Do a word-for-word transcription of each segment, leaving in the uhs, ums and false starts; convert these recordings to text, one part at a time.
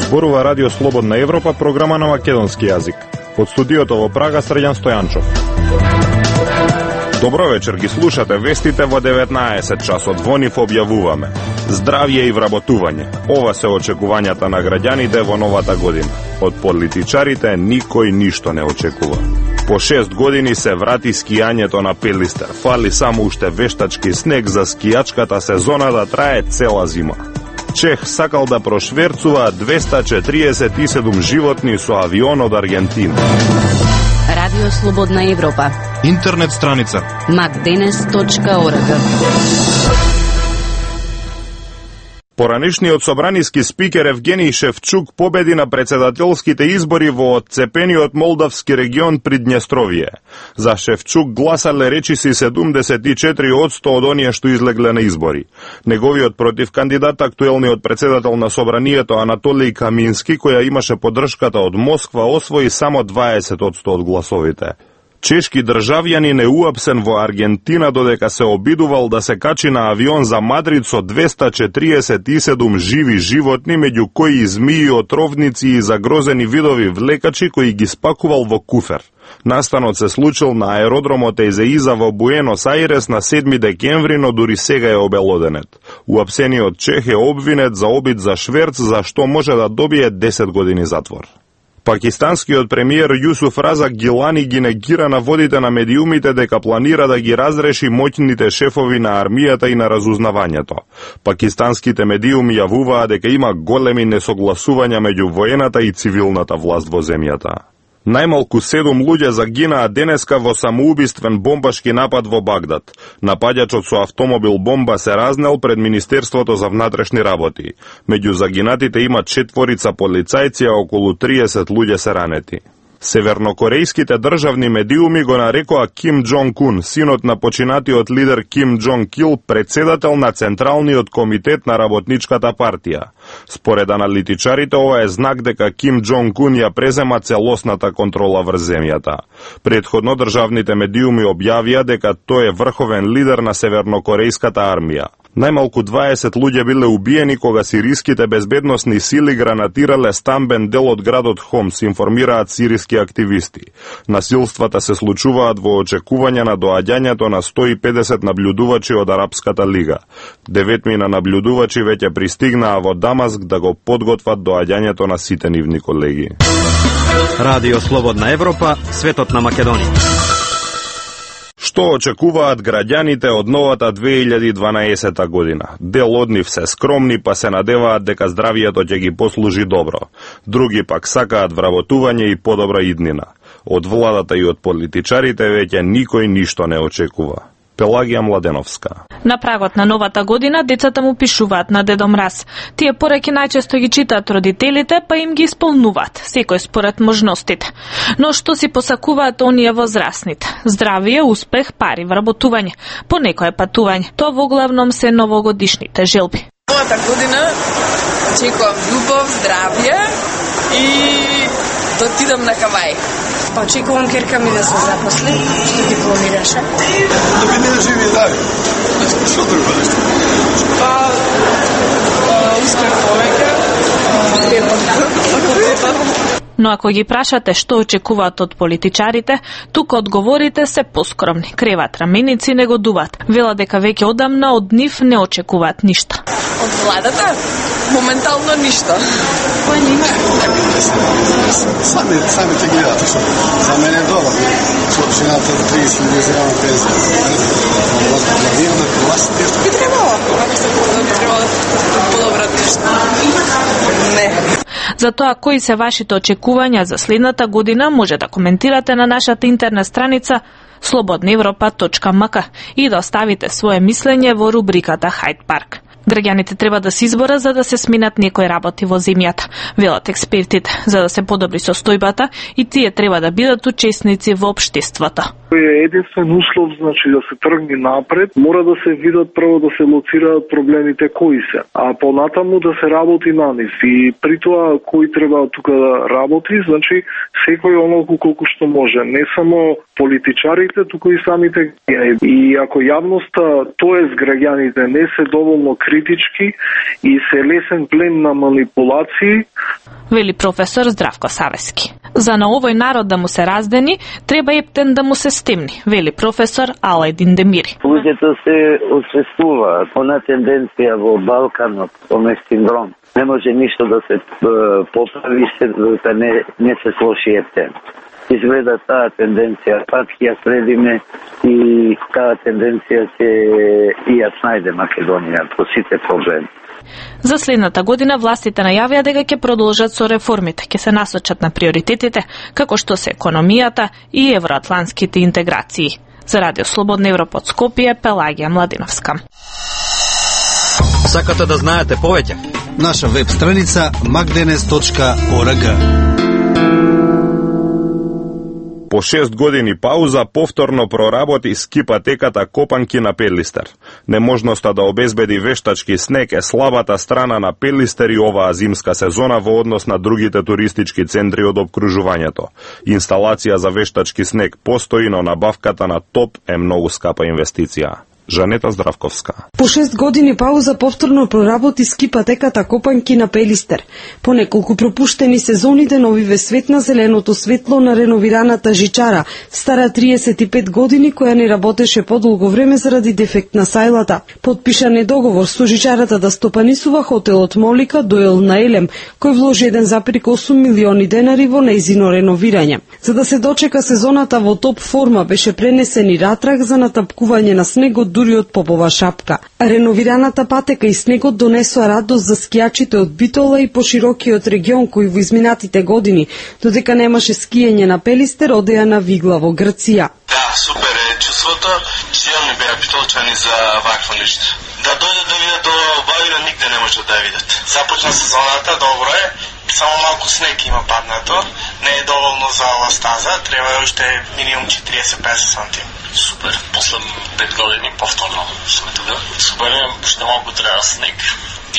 Зборува Радио Слободна Европа, програма на македонски јазик. Од студиото во Прага, Срđan Стојанчов. Добро вечер, ги слушате вестите во деветнаесет часот. Во нив објавуваме здравје и вработување. Ова се очекувањата на граѓаните во новата година. Од политичарите никој ништо не очекува. По шест години се врати скијањето на Пелистер. Фали само уште вештачки снег за скијачката сезона да трае цела зима. Чех сакал да прошверцува двеста четириесет и седум животни со авион од Аргентина. Радио Слободна Европа. Интернет страница макденес точка орг. Поранишниот собраниски спикер Евгений Шевчук победи на председателските избори во отцепениот молдавски регион Придњестровје. За Шевчук гласале речиси седумдесет и четири одсто од оние што излегле на избори. Неговиот противкандидат, актуелниот председател на собранието Анатолиј Камински, која имаше поддршката од Москва, освои само дваесет одсто од гласовите. Чешки државјанин е уапсен во Аргентина додека се обидувал да се качи на авион за Мадрид со двеста четириесет и седум живи животни, меѓу кои змии, отровници и загрозени видови влекачи, кои ги спакувал во куфер. Настанот се случил на аеродромот Езеиза во Буенос Ајрес на седми декември, но дури сега е обелоденет. Уапсениот чех е обвинет за обид за шверц, за што може да добие десет години затвор. Пакистанскиот премиер Јусуф Разак Гилани ги негира наводите на медиумите дека планира да ги разреши моќните шефови на армијата и на разузнавањето. Пакистанските медиуми јавуваа дека има големи несогласувања меѓу воената и цивилната власт во земјата. Најмалку седум луѓе загинаа денеска во самоубиствен бомбашки напад во Багдад. Напаѓачот со автомобил бомба се разнел пред Министерството за внатрешни работи. Меѓу загинатите има четворица полицајци, а околу триесет луѓе се ранети. Севернокорејските државни медиуми го нарекоа Ким Џонг Ун, синот на починатиот лидер Ким Џонг Ил, председател на Централниот комитет на Работничката партија. Според аналитичарите, ова е знак дека Ким Џонг Ун ја презема целосната контрола врз земјата. Предходно државните медиуми објавија дека тој е врховен лидер на Севернокорејската армија. Најмалку дваесет луѓе биле убиени кога сириските безбедносни сили гранатирале стамбен дел од градот Хомс, информираат сириски активисти. Насилствата се случуваат во очекување на доаѓањето на сто и педесет наблюдувачи од Арапската лига. Деветмина наблюдувачи веќе пристигнаа во Дамаск да го подготват доаѓањето на сите нивни колеги. Радио Слободна Европа, светот на Македонија. Што очекуваат граѓаните од новата две илјади и дванаесета година? Дел од нив се скромни, па се надеваат дека здравието ќе ги послужи добро. Други пак сакаат вработување и подобра иднина. Од владата и од политичарите веќе никој ништо не очекува. Пелагија Младеновска. На прагот на новата година децата му пишуваат на Дедо Мраз. Тие пораки најчесто ги читаат родителите, па им ги исполнуваат, секој според можностите. Но што си посакуваат оние возрастните? Здравие, успех, пари, вработување, по некое патување. Тоа во главном се новогодишните желби. Новата година очекувам љубов, здравје и да отидам на Кавај. Па очекувам керка ми да се запосли, што дипломираше. Да би не живи и дали. Што друго нешто? Па, успех повеќе. Но ако ги прашате што очекуваат од политичарите, тука одговорите се поскромни. Креват раменици, не годуваат. Вела дека веќе одамна од нив не очекуваат ништо. Од владата? Моментално ништо. Кој нема? Сами, сами те гледате што. За мене е добро. Со жената до триесет милиони пензија. Главирна, класите. Би требало. Ако се требало да подобрат нешто. Не. За тоа кои се вашите очекувања за следната година може да коментирате на нашата интернет страница слободна европа точка м к и да оставите свое мислење во рубриката Hyde Park. Граѓаните треба да се изборат за да се сменат некои работи во земјата, велат експертите, за да се подобри состојбата и тие треба да бидат учесници во општеството. Е единствен услов, значи да се тргне напред, мора да се видат прво да се лоцираат проблемите кои се, а понатаму да се работи на нив. И при тоа кој треба тука да работи, значи секој онолку колку што може, не само политичарите, туку и самите граѓани. И ако јавноста, тоест граѓаните, не се доволно критички и се лесен плен на манипулации, вели професор Здравко Савески. За на овој народ да му се раздени, треба ептен да му се стемни, вели професор Алајдин Демири. Луѓето се освестуваат, она тенденција во Балканот, оној синдром. Не може ништо да се поправи, се да не, не се слоши ептен. Изгледа таа тенденција, пак ја следиме и таа тенденција ќе и ја снајде Македонија по сите проблеми. За следната година властите најавија дека ќе продолжат со реформите, ќе се насочат на приоритетите, како што се економијата и евроатлантските интеграции. За Радио Слободна Европа од Скопје, Пелагија Младиновска. Сакате да знаете повеќе? Наша веб страница макденес точка орг. По шест години пауза повторно проработи скипатеката Копанки на Пелистер. Неможноста да обезбеди вештачки снег е слабата страна на Пелистер и оваа зимска сезона во однос на другите туристички центри од опкружувањето. Инсталација за вештачки снег постои, но набавката на топ е многу скапа инвестиција. Жанета Здравковска. По шест години пауза повторно проработи скипатеката Копанки на Пелистер. По неколку пропуштени сезоните новиве свет на зеленото светло на реновираната жичара, стара триесет и пет години, која не работеше подолго време заради дефект на сајлата. Подпишан е договор со жичарата да стопанисува хотелот Молика Доел на Елем, кој вложи еден запир осум милиони денари во нејзино реновирање. За да се дочека сезоната во топ форма, беше пренесен и ратрак за натапкување на снегот дури од попова шапка. Реновираната патека и снегот донесоа радост за скијачите од Битола и поширокиот регион кои во изминатите години, додека немаше скиење на Пелистер, одеа на Вигла во Грција. Да, супер е чувството, силни беа битолчани за вакво нешто. Да дојдат да видат до Бавина, нигде не може да видат. Започна сезоната, добро е, само малку снег има паднато, не е доволно за ова стаза, треба уште минимум четириесет до песет сантиметри. Супер, после пет години повторно сме тука. Супер е, уште малку треба снег.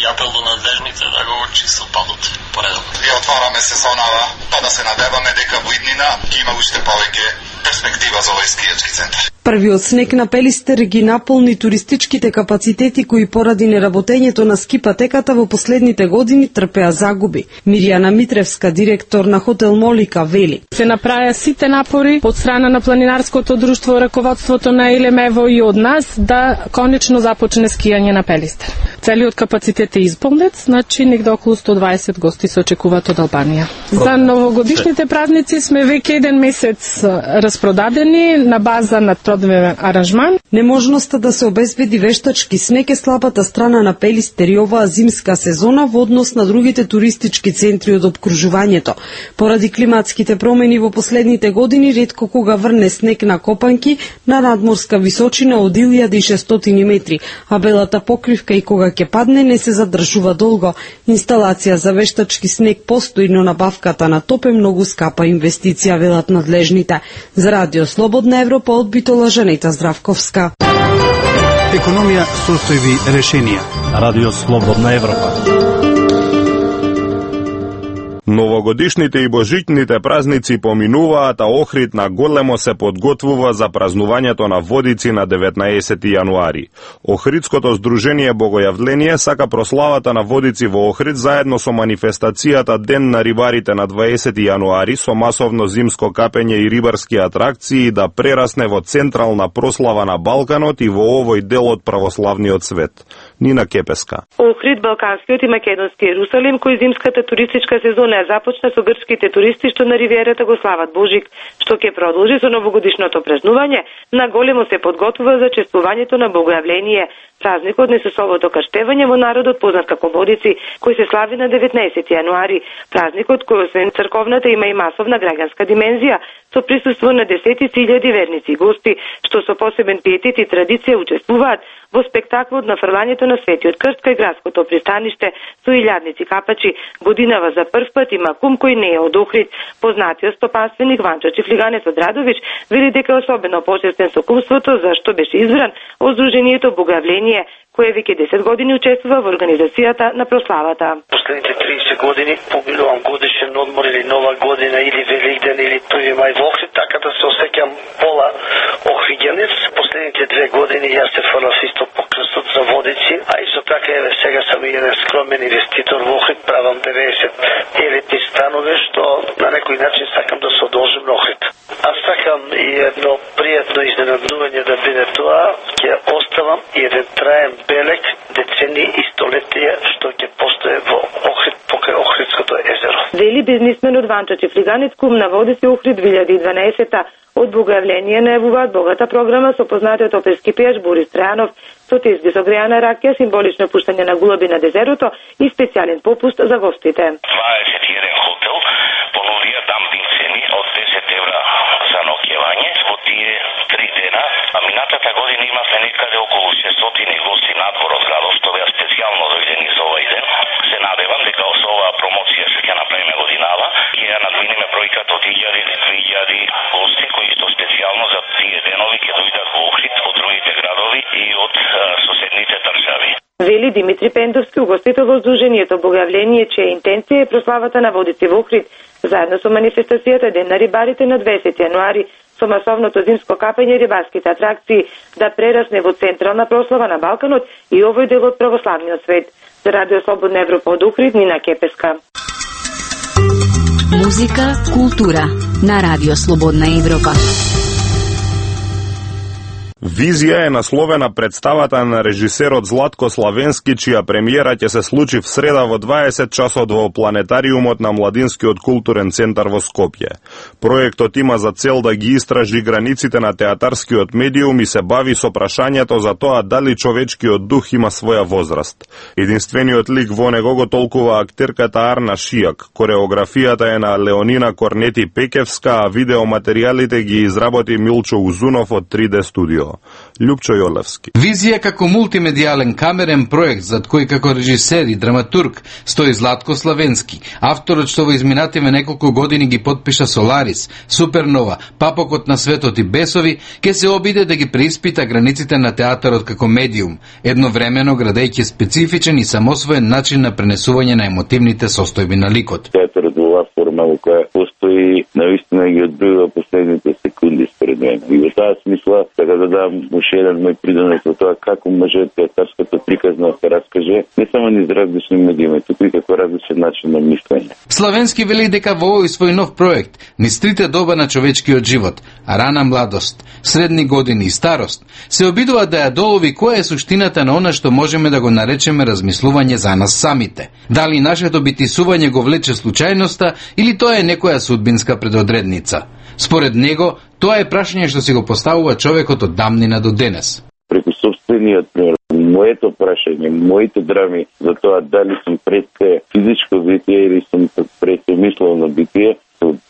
И апел до надлежните да го чистат падот поредовно. И отвараме сезонава, па да се надеваме дека во иднина ќе има уште повеќе перспектива за овој скијачки центар. Првиот снег на Пелистер ги наполни туристичките капацитети кои поради неработењето на скипатеката во последните години трпеа загуби. Мирјана Митревска, директор на хотел Молика, вели: се направија сите напори од страна на планинарското друштво, раководството на Елемево и од нас да конечно започне скијање на Пелистер. Целиот капацитет е исполнет, значи негде околу сто дваесет гости се очекуваат од Албанија. За новогодишните празници сме веќе еден месец распродадени на база на тродневен аранжман. Неможноста да се обезбеди вештачки снег е слабата страна на Пелистер и оваа зимска сезона во однос на другите туристички центри од опкружувањето. Поради климатските промени во последните години ретко кога врне снег на Копанки на надморска височина од илјада и шестстотини метри, а белата покривка и кога ќе падне не се задржува долго. Инсталација за вештачки снег постои, но набавката на топ е многу скапа инвестиција, велат надлежните. За Радио Слободна Европа од Битола, Жанета Здравковска. Економија, состојби, решенија. Радио Слободна Европа. Новогодишните и божичните празници поминуваат, а Охрид на големо се подготвува за празнувањето на Водици на деветнаесети јануари. Охридското здружение Богојавление сака прославата на Водици во Охрид заедно со манифестацијата Ден на рибарите на дваесети јануари со масовно зимско капење и рибарски атракции да прерасне во централна прослава на Балканот и во овој дел од православниот свет. Нина Кепеска. Охрид, Балканскиот и Македонски Ерусалим, кој зимската туристичка сезона започна со грчките туристи што на ривиерата го слават Божик, што ќе продолжи со новогодишното празнување, на големо се подготвува за чествувањето на Богојавление, празникот несусовото крштевање во народот познат како Водици, кој се слави на деветнаесети јануари, празникот кој освен црковната има и масовна граѓанска димензија, со присуство на десетици илјади верници и гости, што со посебен пиетет и традиција учествуваат во спектаклот на фрлањето на Светиот Крст кај градското пристаниште со илјадници капачи. Годинава за прв пат има кум кој не е од Охрид. Познатиот стопанственик Ванчо Чифлиганец од Радович вели дека е особено почестен со кумството зашто беше избран од Сдруженијето Богојавление, кое веќе десет години учествува во организацијата на прославата. Последните триесет години поминувам годишен одмор или нова година или Великден или први мај во Охрид, така да се осеќам пола охриѓанец. Последните две години јас се фрлав исто по крстот за водици, а исто така еве сега сам еден скромен инвеститор во Охрид, правам деветдесет елитни станови што на некој начин сакам да се одолжим на Охрид. Аз сакам и едно пријатно изненадување да биде тоа, ќе оставам и еден траен белег децени и столетија што ќе постои во Охрид покрај Охридското езеро. Вели бизнисменот Ванчо Чифлиганец, кум на Водици Охрид две илјади и дванаесета. Од Богојавление најавуваат богата програма со познатиот оперски пејач Борис Трајанов, со тезги со греана ракија, символично пуштање на гулаби на дезерото и специјален попуст за гостите. дваесет и еден хотел понудија дампинг цени од десет евра за ноќевање во тие три дена, а минатата година имавме некаде околу шестстотини гости надвор од градот што беа специјално дојдени за овој ден. Се надевам дека со оваа промоција што ќе направиме годинава ќе ја надминеме бројката од илјади до две илјади гости кои што специјално за тие денови ќе дојдат во Охрид, од другите градови и од а, соседните држави. Вели Димитри Пендовски, угостител во Сдруженијето Богојавление, чија интенција е прославата на Водици во Охрид, заедно со манифестацијата Ден на рибарите на дваесети јануари, со масовното зимско капање и рибарските атракции, да прерасне во централна прослава на Балканот и овој дел од православниот свет. За Радио Слободна Европа од Охрид, Нина Кепеска. Музика, култура на Радио Слободна Европа. Визија е насловена представата на режисерот Златко Славенски, чија премиера ќе се случи в среда во дваесет часот во планетариумот на Младинскиот културен центар во Скопје. Проектот има за цел да ги истражи границите на театарскиот медиум и се бави со прашањето за тоа дали човечкиот дух има своја возраст. Единствениот лик во него го толкува актерката Арна Шијак, кореографијата е на Леонина Корнети Пекевска, а видеоматеријалите ги изработи Милчо Узунов од три Д студио. Лјупчо Јолевски. Визија како мултимедијален камерен проект зад кој како режисер и драматург стои Златко Славенски, авторот што во изминативе неколку години ги потпиша Соларис, Супернова, Папокот на светот и Бесови, ке се обиде да ги преиспита границите на театарот како медиум, едновремено градејќи специфичен и самосвоен начин на пренесување на емотивните состојби на ликот. Театарот во оваа форма во која постои навистина ги одбива последните секунди според мене. И во таа смисла, така да дам уште еден мој придонес во тоа како може театарското приказно да се раскаже не само низ различни медиуми, туку и како различен начин на мислење. Славенски вели дека во овој свој нов проект, низ трите доба на човечкиот живот, рана младост, средни години и старост, се обидува да ја долови која е суштината на она што можеме да го наречеме размислување за нас самите. Дали нашето битисување го влече случајноста или тоа е некоја судбинска предодредница. Според него, тоа е прашање што си го поставува човекот од дамнина до денес. Преку собствениот пример, моето прашање, моите драми за тоа дали сум пред физичко битие или сум пред мисловно битие,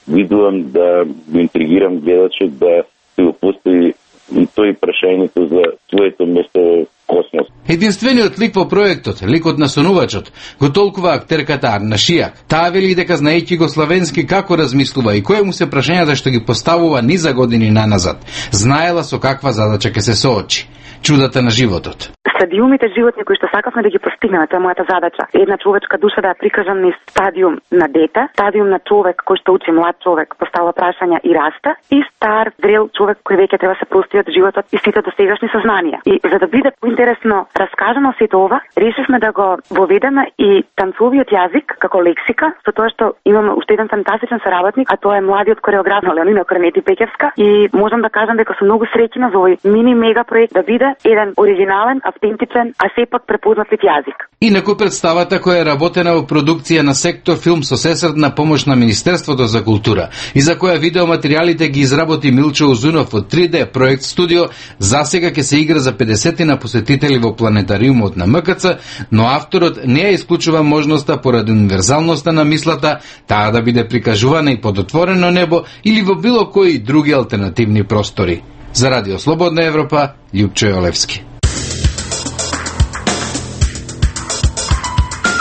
видувам да го интригирам гледачот да се го постави и тој прашањето за своето место во космос. Единствениот лик во проектот, ликот на сонувачот, го толкува актерката Арна Шијак. Таа вели дека знаејќи го Славенски како размислува и кои му се прашањата што ги поставува низа години наназад, знаела со каква задача ќе се соочи. Чудата на животот. Стадиумите животни кои што сакавме да ги постигнеме, тоа е мојата задача. Една човечка душа да ја прикажам низ стадиум на дете, стадиум на човек кој што учи, млад човек, поставува прашања и раста, и стар, зрел човек кој веќе треба да се прости од животот и сите досегашни сознанија. И за да биде поинтересно раскажано сето ова, решивме да го воведеме и танцовиот јазик како лексика, со тоа што имаме уште еден фантастичен соработник, а тоа е младиот кореограф Леонина Корнети Пекевска, и можам да кажам дека сум многу среќна за овој мини мега проект да биде еден оригинален, автентичен, а сепак препознатлив јазик. Инаку представата која е работена во продукција на сектор филм со сесредна помош на Министерството за култура и за која видеоматеријалите ги изработи Милчо Узунов од три Д проект студио, засега ќе се игра за педесетина посетители во планетариумот на М К Ц, но авторот не ја исклучува можноста поради универзалноста на мислата таа да биде прикажувана и под отворено небо или во било кои други алтернативни простори. За Радио Слободна Европа, Лјупчо Јолевски.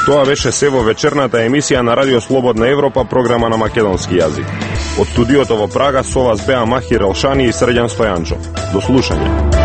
Тоа беше се во вечерната емисија на Радио Слободна Европа, програма на македонски јазик. Од студиото во Прага со вас беа Махир Елшани и Срđan Стојанчов. До слушање.